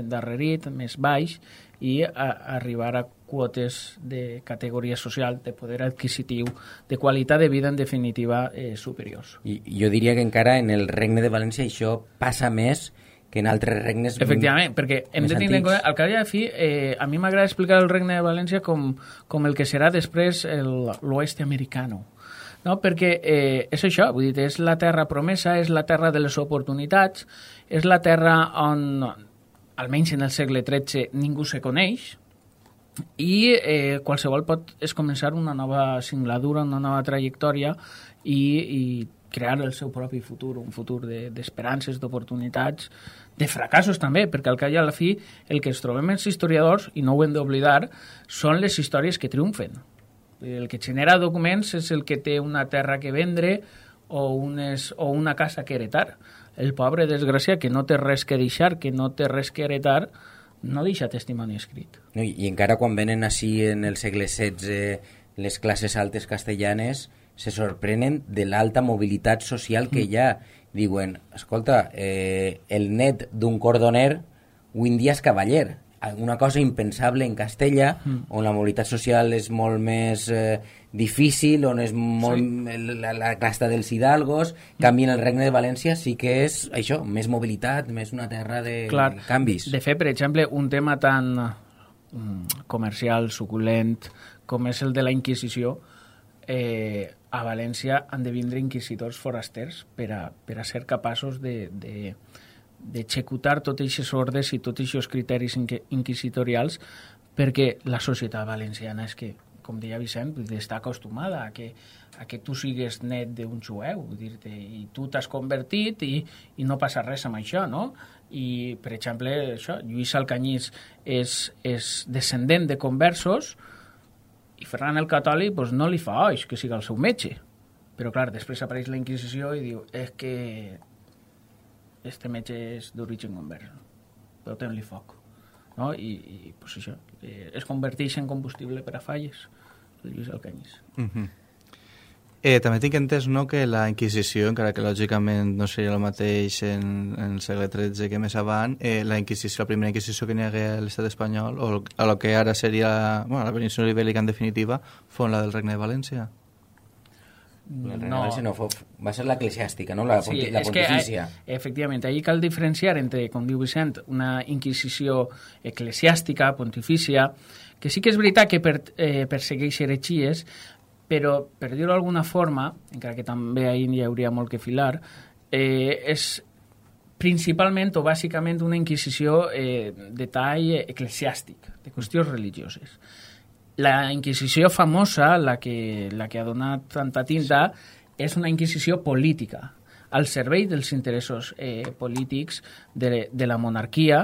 endarrerit, més baix, i arribar a quotes de categoria social, de poder adquisitiu, de qualitat de vida, en definitiva, superiors. I jo diria que encara en el Regne de València això passa més que en altres regnes. Efectivament, perquè hem de tenir en compte, al cap i a la fi, a mi m'agrada explicar el Regne de València com el que serà després l'oest americano. No? Perquè és això, vull dir, és la terra promesa, és la terra de les oportunitats, és la terra on, almenys en el segle XIII, ningú se coneix, i qualsevol és començar una nova singladura, una nova trajectòria i crear el seu propi futur, un futur d'esperances, d'oportunitats, de fracassos també, perquè al cap i a la fi el que ens trobem els historiadors, i no ho hem d'oblidar, són les històries que triomfen. El que genera documents és el que té una terra que vendre o una casa que heretar. El pobre desgraciat que no té res que deixar, que no té res que heretar, no deixa testimoni escrit. No, i encara quan venen així en el segle XVI les classes altes castellanes se sorprenen de l'alta mobilitat social que hi ha. Diuen, escolta, el net d'un cordoner avui en dia és cavaller. Una cosa impensable en Castella, on la mobilitat social és molt més difícil, on és molt la casta dels hidalgos. Canvi en el Regne de València sí que és això, més mobilitat, més una terra de canvis. De fet, per exemple, un tema tan comercial, suculent, com és el de la Inquisició, a València han de vindre inquisidors forasters per a ser capaços d'executar tots aquests ordres i tots aquests criteris inquisitorials, perquè la societat valenciana és que, com deia Vicent, està acostumada a que tu sigues net d'un jueu, i tu t'has convertit i no passa res amb això, no? I, per exemple, això, Lluís Alcanyís és descendent de conversos, i Ferran el Catòlic no li fa oix que siga el seu metge. Però, clar, després apareix la Inquisició i diu, és que este metge és d'origen convers, però ten-li foc. No? I pues això, es converteix en combustible per a falles, el Lluís Alcanyís. També tinc entès, no, que la Inquisició, encara que lògicament no seria el mateix en el segle XIII que més avant, la primera Inquisició que n'hi hagué a l'estat espanyol, o a lo que ara seria la península ibèrica en definitiva, fou la del Regne de València. No, va ser l'eclesiàstica, no? La pontifícia. Efectivament, allí cal diferenciar entre, com diu Vicent, una Inquisició eclesiàstica, pontifícia, que sí que és veritat que persegueix heretgies, però, per dir-ho d'alguna forma, encara que també ahir hi hauria molt que filar, és principalment o bàsicament una inquisició de tall eclesiàstic, de qüestions religioses. La inquisició famosa, la que ha donat tanta tinta, és una inquisició política, al servei dels interessos polítics de la monarquia,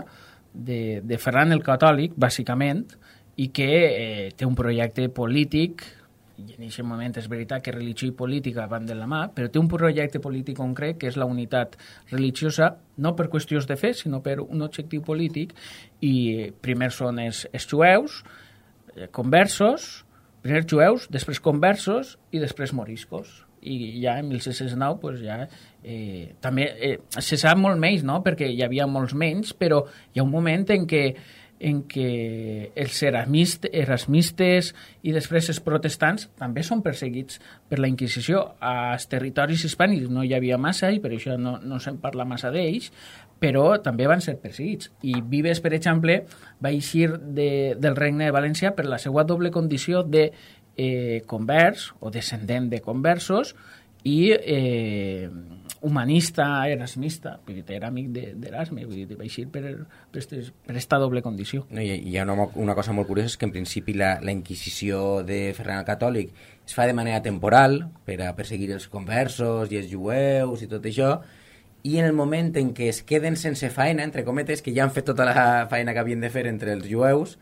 de Ferran el Catòlic, bàsicament, i que té un projecte polític, i en aquest moment és veritat que religió i política van de la mà, però té un projecte polític concret que és la unitat religiosa, no per qüestions de fe, sinó per un objectiu polític, i primer són els jueus, conversos, primer jueus, després conversos i després moriscos. I ja en 1609 pues ja, també se sap molt menys, no? Perquè hi havia molts menys, però hi ha un moment en què els erasmistes i després els protestants també són perseguits per la Inquisició. Als territoris hispànics no hi havia massa i per això no se'n parla massa d'ells, però també van ser perseguits. I Vives, per exemple, va eixir del Regne de València per la seva doble condició de convers o descendent de conversos i humanista, erasmista, perquè era amic d'Erasme, vull dir, va eixir per aquesta doble condició. No, hi ha una cosa molt curiosa, és que en principi la Inquisició de Ferran el Catòlic es fa de manera temporal per a perseguir els conversos i els jueus i tot això, i en el moment en què es queden sense faena, entre cometes, que ja han fet tota la faena que havien de fer entre els jueus,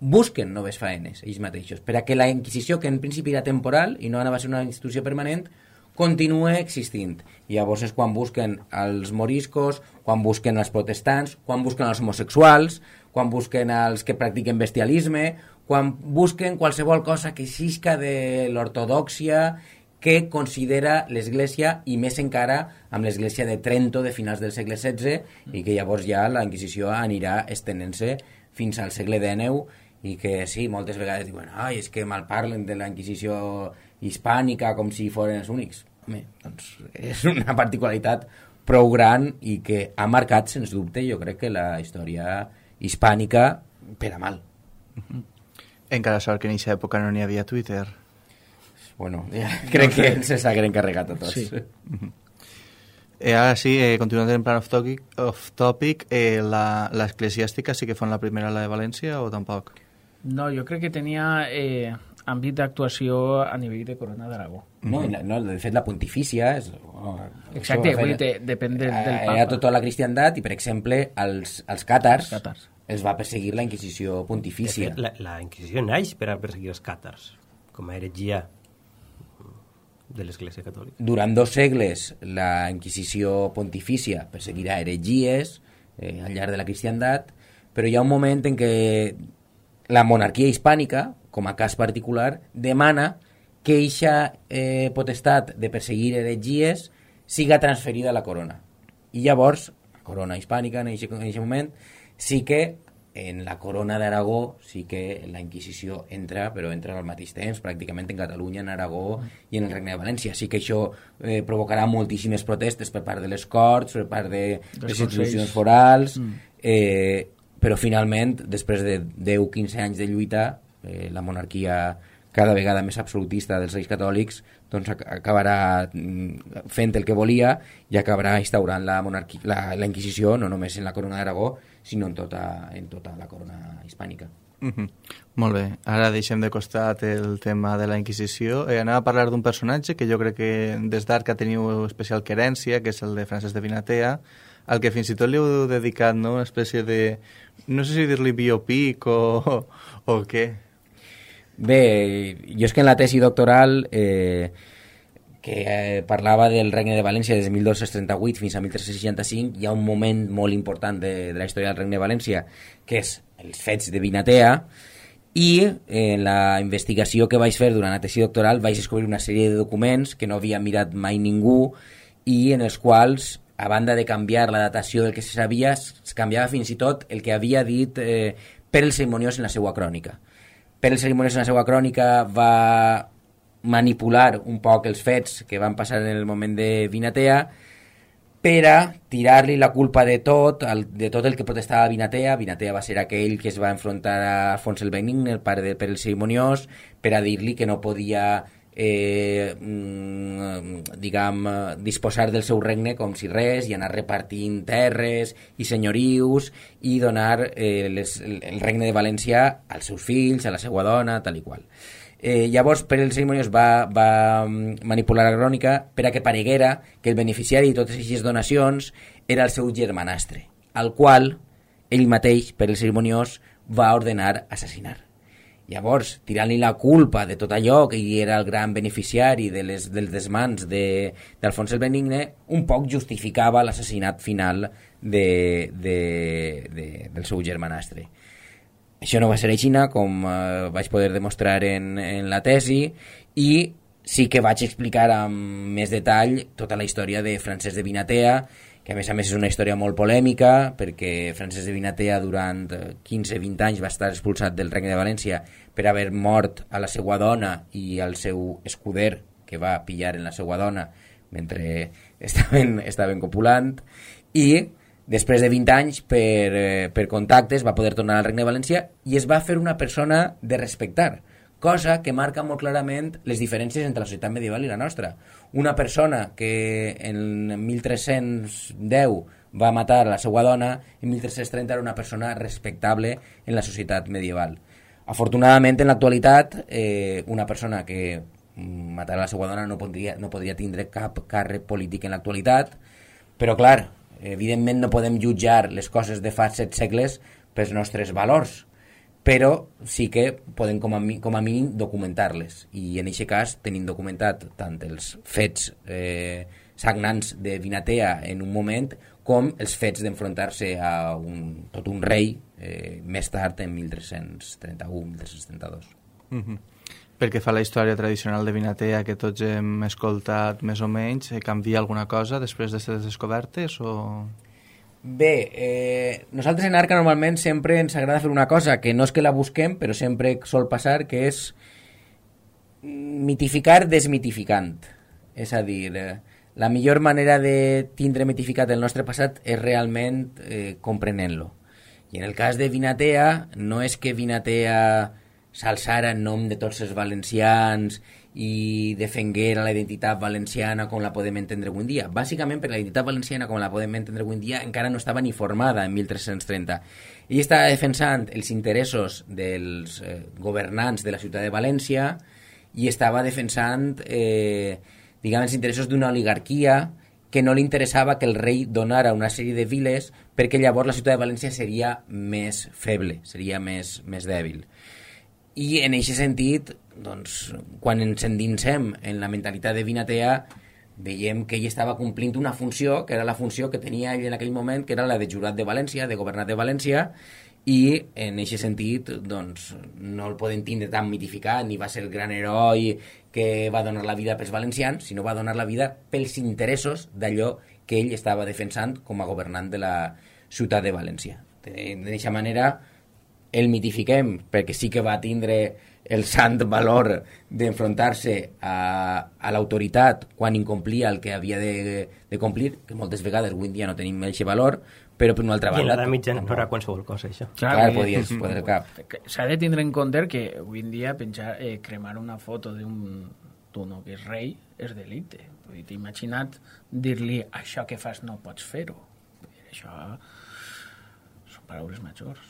busquen noves faenes, ells mateixos, per a que la Inquisició, que en principi era temporal i no anava a ser una institució permanent, continua existint. I llavors és quan busquen els moriscos, quan busquen els protestants, quan busquen els homosexuals, quan busquen els que practiquen bestialisme, quan busquen qualsevol cosa que xisca de l'ortodòxia que considera l'Església, i més encara amb l'Església de Trento de finals del segle XVI, i que llavors ja la Inquisició anirà estenent-se fins al segle XIX, i que sí, moltes vegades diuen ai, és que malparlen de la Inquisició hispànica com si foren els únics. Home, doncs és una particularitat prou gran i que ha marcat, sens dubte, jo crec que la història hispànica per a mal. Encara sort que en aquesta època no n'hi havia Twitter. Bueno, ja, crec que se s'hagueren encarregat a tots. Sí. Ara sí, continuant en plan off-topic, l'eclesiàstica sí que fan la primera a la de València o tampoc? No, jo crec que tenia àmbit d'actuació a nivell de Corona d'Aragó. No, de fet la pontifícia és... Exacte, vull dir, depèn del papa. Era tota la cristiandat i, per exemple, els càtars els va perseguir la Inquisició pontifícia. De fet, la Inquisició naix per a perseguir els càtars, com a heretgia de l'Església Catòlica. Durant 2 segles la Inquisició pontifícia perseguirà heretgies al llarg de la cristiandat, però hi ha un moment en què la monarquia hispànica, com a cas particular, demana que eixa potestat de perseguir heretgies siga transferida a la corona. I llavors, la corona hispànica en aquest moment, sí que en la corona d'Aragó sí que la Inquisició entra, però entra al mateix temps, pràcticament en Catalunya, en Aragó i en el Regne de València. Sí que això provocarà moltíssimes protestes per part de les Corts, per part de les institucions forals, però finalment, després de 10-15 anys de lluita, la monarquia cada vegada més absolutista dels Reis Catòlics doncs acabarà fent el que volia i acabarà instaurant la Inquisició no només en la corona d'Aragó, sinó en tota la corona hispànica. Molt bé, ara deixem de costat el tema de la Inquisició. Anem a parlar d'un personatge que jo crec que des d'Arca teniu especial querència, que és el de Francesc de Vinatea, al que fins i tot li heu dedicat, no?, una espècie de... no sé si dir-li biopic o què. Bé, jo és que en la tesi doctoral parlava del Regne de València des de 1238 fins a 1365, hi ha un moment molt important de la història del Regne de València, que és els fets de Vinatea, i en la investigació que vaig fer durant la tesi doctoral vaig descobrir una sèrie de documents que no havia mirat mai ningú i en els quals, a banda de canviar la datació del que se sabia, es canviava fins i tot el que havia dit Pere el Cerimoniós en la seva crònica. Pere el Cerimoniós en la seva crònica va manipular un poc els fets que van passar en el moment de Vinatea per a tirar-li la culpa de tot el que protestava Vinatea. Vinatea va ser aquell que es va enfrontar a Alfons el Benigne, el pare de Pere el Cerimoniós, per a dir-li que no podia disposar del seu regne com si res i anar repartint terres i senyorius i donar el regne de València als seus fills, a la seva dona, tal i qual. Llavors Pere el Cerimoniós va manipular la crònica per a que pareguera que el beneficiari de totes aquestes donacions era el seu germanastre, al qual ell mateix, Pere el Cerimoniós, va ordenar assassinar. Llavors, tirant-li la culpa de tot allò, que ell era el gran beneficiari dels desmans d'Alfons el Benigne, un poc justificava l'assassinat final del seu germanastre. Això no va ser així, com vaig poder demostrar en la tesi, i sí que vaig explicar amb més detall tota la història de Francesc de Vinatea, que a més és una història molt polèmica, perquè Francesc de Vinatea durant 15-20 anys va estar expulsat del Regne de València per haver mort a la seva dona i al seu escuder, que va pillar en la seva dona mentre estaven copulant, i després de 20 anys per contactes va poder tornar al Regne de València i es va fer una persona de respectar, cosa que marca molt clarament les diferències entre la societat medieval i la nostra. Una persona que en 1310 va matar a la seva dona, en 1330 era una persona respectable en la societat medieval. Afortunadament, en l'actualitat, una persona que matara a la seva dona no podria tindre cap càrrec polític en l'actualitat, Però, clar, evidentment no podem jutjar les coses de fa 7 segles pels nostres valors, però sí que podem com a mínim documentar-les. I en aquest cas tenim documentat tant els fets sagnants de Vinatea en un moment com els fets d'enfrontar-se a tot un rei més tard en 1331-1332. Pel que fa a la història tradicional de Vinatea que tots hem escoltat més o menys, canvia alguna cosa després d'aquestes descobertes o...? Bé, nosaltres en Arca normalment sempre ens agrada fer una cosa que no és que la busquem, però sempre sol passar, que és mitificar desmitificant. És a dir, la millor manera de tindre mitificat el nostre passat és realment comprenent-lo. I en el cas de Vinatea, no és que Vinatea s'alçara en nom de tots els valencians i defenguera la identitat valenciana com la podem entendre avui en dia. Bàsicament, perquè la identitat valenciana com la podem entendre avui en dia encara no estava ni formada en 1330. Ell estava defensant els interessos dels governants de la ciutat de València i estava defensant diguem, els interessos d'una oligarquia que no li interessava que el rei donara una sèrie de viles perquè llavors la ciutat de València seria més feble, seria més dèbil. I en aquest sentit, doncs, quan ens endinsem en la mentalitat de Vinatea, veiem que ell estava complint una funció, que era la funció que tenia ell en aquell moment, que era la de jurat de València, de governat de València, i en aquest sentit doncs, no el podem tindre tan mitificat, ni va ser el gran heroi que va donar la vida pels valencians, sinó va donar la vida pels interessos d'allò que ell estava defensant com a governant de la ciutat de València. D'aquesta manera el mitifiquem perquè sí que va tindre el sant valor d'enfrontar-se a l'autoritat quan incomplia el que havia de complir, que moltes vegades avui en dia no tenim aquest valor, però per una altra banda... I en l'edat mitjana no era qualsevol cosa, això. Clar, podies poder cap. S'ha de tindre en compte que avui en dia cremar una foto d'un que és rei és delicte. T'he imaginat dir-li això que fas no pots fer-ho. Això són paraules majors.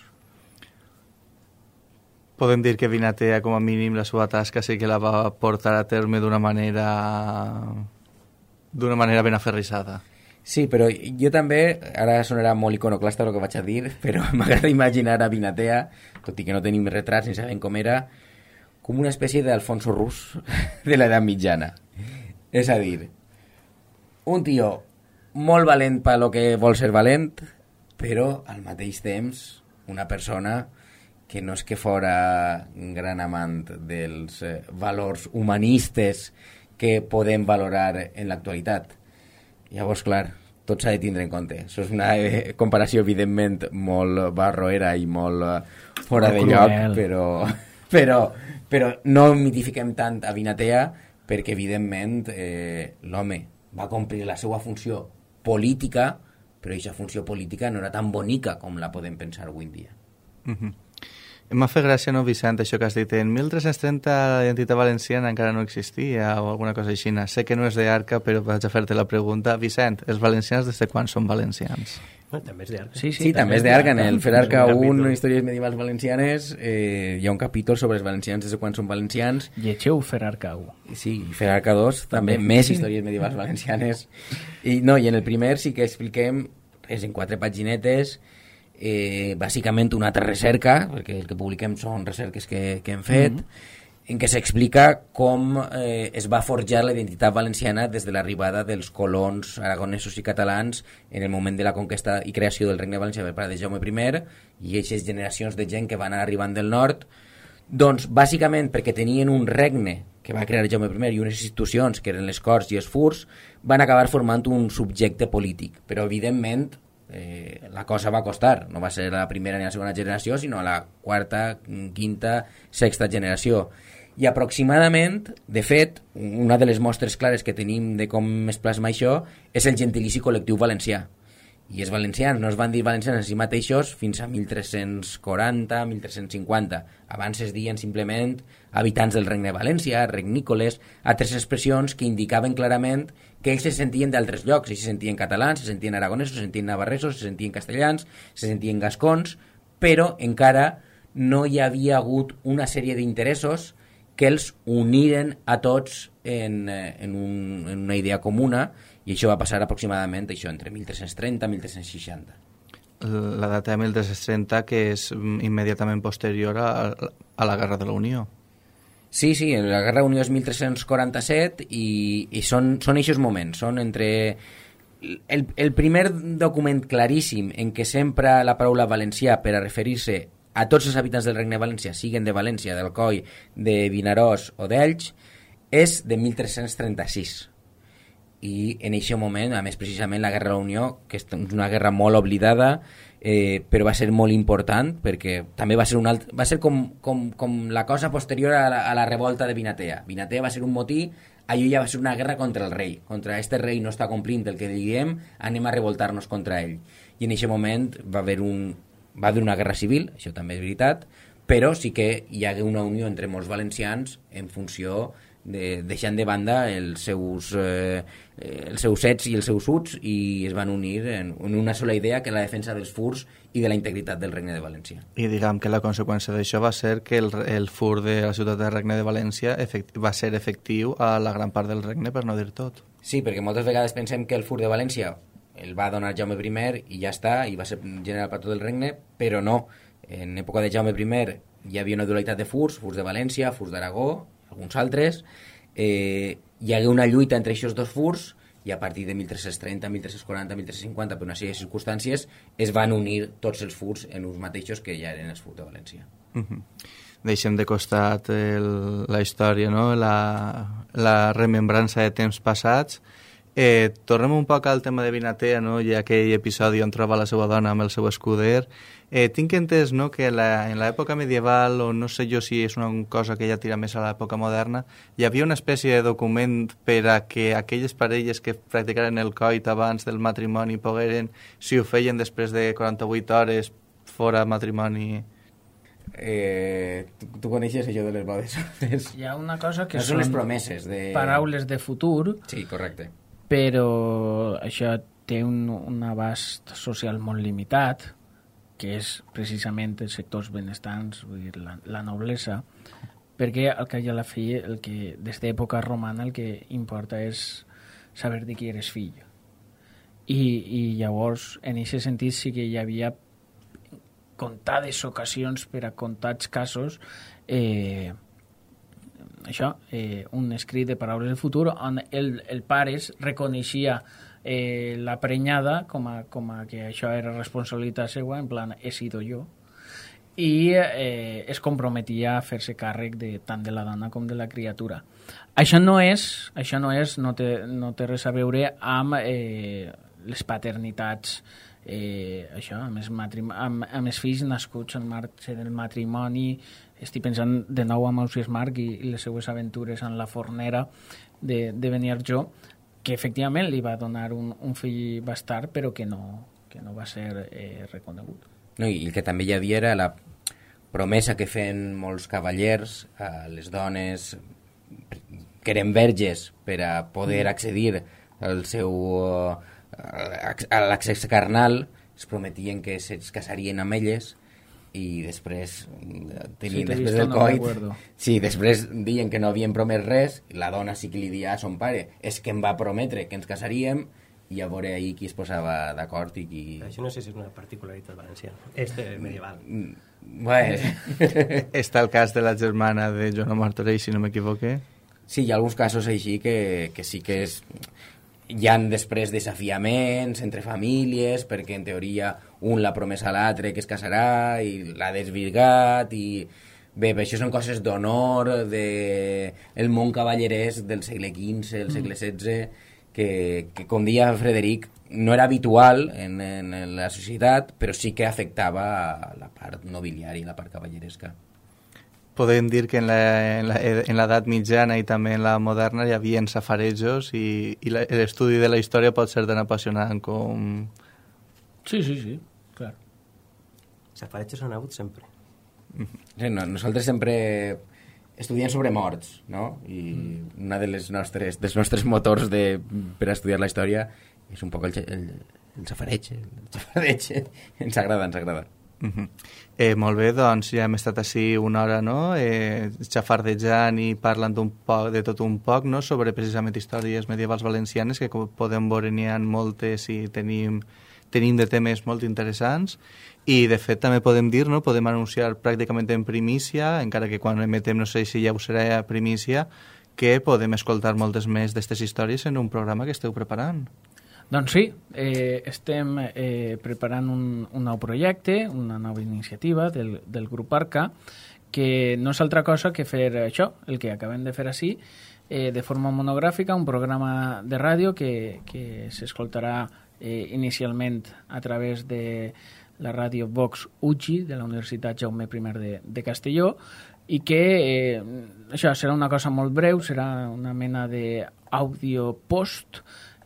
Podem dir que Vinatea, com a mínim, la seva tasca sí que la va portar a terme d'una manera ben aferrissada. Sí, però jo també, ara sonarà molt iconoclasta el que vaig a dir, però m'agrada imaginar a Vinatea, tot i que no tenim retrats ni sabem com era, com una espècie d'Alfonso Rus de l'edat mitjana. És a dir, un tio molt valent per lo que vol ser valent, però al mateix temps una persona que no és que fora un gran amant dels valors humanistes que podem valorar en l'actualitat. Llavors, clar, tot s'ha de tindre en compte. Això és una comparació, evidentment, molt barroera i molt fora de lloc, però no mitifiquem tant a Vinatea perquè, evidentment, l'home va complir la seva funció política, però aquesta funció política no era tan bonica com la podem pensar avui en dia. M'ha fet gràcia, no, Vicent, això que has dit. En 1330 la identitat valenciana encara no existia o alguna cosa així. Sé que no és d'Arca, però vaig a fer-te la pregunta. Vicent, els valencians des de quan són valencians? També és d'Arca. Sí, també és d'Arca. En el Fer Arca 1, Històries medievals valencianes, hi ha un capítol sobre els valencians des de quan són valencians. Llegeu Fer Arca 1. Sí, Fer Arca 2, també més històries medievals valencianes. I en el primer sí que expliquem, és en 4 paginetes, bàsicament una altra recerca, perquè el que publiquem són recerques que hem fet, en què s'explica com es va forjar la identitat valenciana des de l'arribada dels colons aragonesos i catalans en el moment de la conquesta i creació del Regne Valencià per part de Jaume I i aquestes generacions de gent que van anar arribant del nord, doncs bàsicament perquè tenien un regne que va crear Jaume I i unes institucions que eren les Corts i els Furs, van acabar formant un subjecte polític, però evidentment la cosa va costar, no va ser la primera ni la segona generació, sinó la quarta, quinta, sexta generació. I aproximadament, de fet, una de les mostres clares que tenim de com es plasma això és el gentilici col·lectiu valencià. I els valencians no es van dir valencians a si mateixos fins a 1340, 1350. Abans es deien simplement habitants del Regne de València, regnícoles, altres expressions que indicaven clarament que ells se sentien d'altres llocs. Ells se sentien catalans, se sentien aragonesos, se sentien navarresos, se sentien castellans, se sentien gascons, però encara no hi havia hagut una sèrie d'interessos que els uniren a tots en una idea comuna I això va passar aproximadament entre 1330 i 1360. La data de 1330, que és immediatament posterior a la Guerra de la Unió. Sí, la Guerra de la Unió és 1347 i són aquests moments, són entre... El primer document claríssim en què s'empra la paraula valencià per a referir-se a tots els habitants del Regne de València, siguen de València, d'Alcoi, de Vinaròs o d'Elx, és de 1336. I en aquest moment, a més precisament la Guerra de la Unió, que és una guerra molt oblidada, però va ser molt important perquè també va ser com la cosa posterior a la revolta de Vinatea. Vinatea va ser un motí, allò ja va ser una guerra contra el rei, contra este rei no està complint el que diguem, anem a revoltar-nos contra ell. I en aquest moment va haver una guerra civil, això també és veritat, però sí que hi hagué una unió entre molts valencians en funció deixant de banda els seus ets i els seus uts, i es van unir en una sola idea, que és la defensa dels furs i de la integritat del Regne de València. I diguem que la conseqüència d'això va ser que el fur de la ciutat del Regne de València va ser efectiu a la gran part del regne, per no dir tot. Sí, perquè moltes vegades pensem que el fur de València el va donar Jaume I i ja està, i va ser general per tot el regne, però no. En època de Jaume I hi havia una dualitat de furs de València, furs d'Aragó, alguns altres, hi hagué una lluita entre aquests dos furs, i a partir de 1330, 1340, 1350, per una sèrie de circumstàncies, es van unir tots els furs en uns mateixos que ja eren els furs de València. Deixem de costat la història, no? la remembrança de temps passats. Tornem un poc al tema de Vinatea, no? I aquell episodi on troba la seva dona amb el seu escuder. Tinc entès, no?, que en l'època medieval, o no sé jo si és una cosa que ja tira més a l'època moderna, hi havia una espècie de document per a que aquelles parelles que practicaren el coit abans del matrimoni pogueren, si ho feien després de 48 hores, fora matrimoni... Tu coneixes això de les bodes? Hi ha una cosa que són les promeses de... paraules de futur. Sí, correcte. Però això té un abast social molt limitat, que és precisament els sectors benestants, vull dir, la noblesa, perquè al cap i a la fi, des d'època romana, el que importa és saber de qui eres fill. I llavors, en aquest sentit, sí que hi havia comptades ocasions per a comptats casos un escrit de paraules del futur on el pare reconeixia la prenyada com a que això era responsabilitat seva, en plan, he sido jo, i es comprometia a fer-se càrrec tant de la dona com de la criatura. Això no té res a veure amb les paternitats, amb els fills nascuts en marc del matrimoni. Estic pensant de nou amb Ausiàs Marc i les seues aventures en la fornera de Beniarjó, que efectivament li va donar un fill bastard, però que no va ser reconegut. No, i el que també hi havia era la promesa que feien molts cavallers a les dones que eren verges per a poder accedir al seu a l'accés carnal. Es prometien que es casarien amb elles i després després del coit, després deien que no havien promès res. La dona sí que li dia a son pare, és que em va prometre que ens casaríem, i a veure ahir qui es posava d'acord i qui... Això no sé si és una particularitat valenciana, medieval. Bueno. Està el cas de la germana de Joan Martorell, si no m'equivoque. Sí, hi ha alguns casos així que sí que és... Hi ha després desafiaments entre famílies, perquè en teoria un l'ha promès a l'altre que es casarà i l'ha desvirgat, i bé, això són coses d'honor del món cavallerès del segle XV, del segle XVI, que com deia Frederic, no era habitual en la societat, però sí que afectava a la part nobiliària, la part cavalleresca. Podem dir que en l'edat mitjana i també en la moderna hi havia safarejos i l'estudi de la història pot ser tan apassionant com... Sí, clar. Safarejos han hagut sempre. Sí, nosaltres sempre estudiem sobre morts, no? I una dels nostres motors per a estudiar la història és un poc el safareig. Ens agrada. Molt bé, doncs ja hem estat així una hora, no? Xafardejant i parlant de tot un poc, no? Sobre precisament històries medievals valencianes, que com podem veure n'hi ha moltes i tenim de temes molt interessants, i de fet també podem dir, no? Podem anunciar pràcticament en primícia, encara que quan emetem no sé si ja ho serà a primícia, que podem escoltar moltes més d'aquestes històries en un programa que esteu preparant. Doncs sí, estem preparant un nou projecte, una nova iniciativa del grup Arca, que no és altra cosa que fer això, el que acabem de fer així, de forma monogràfica, un programa de ràdio que s'escoltarà inicialment a través de la ràdio Vox UGI de la Universitat Jaume I de Castelló, i que això serà una cosa molt breu, serà una mena d'àudio post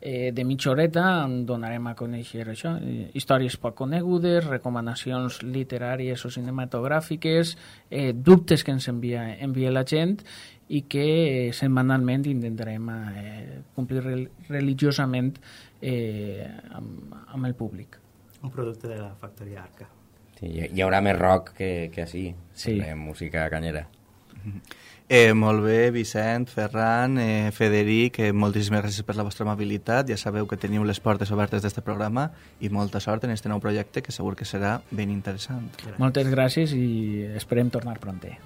de mitja horeta, on donarem a conèixer això, històries poc conegudes, recomanacions literàries o cinematogràfiques, dubtes que ens envia la gent, i que setmanalment intentarem complir religiosament amb el públic. Un producte de la factoria Arca. Sí, hi haurà més rock que així, sí. Música canyera. Molt bé, Vicent, Ferran, Federic, moltíssimes gràcies per la vostra amabilitat. Ja sabeu que teniu les portes obertes d'este programa i molta sort en este nou projecte, que segur que serà ben interessant. Gràcies. Moltes gràcies i esperem tornar pronter.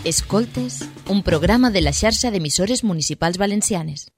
Escoltes, un programa de la xarxa d'emissores municipals valencianes.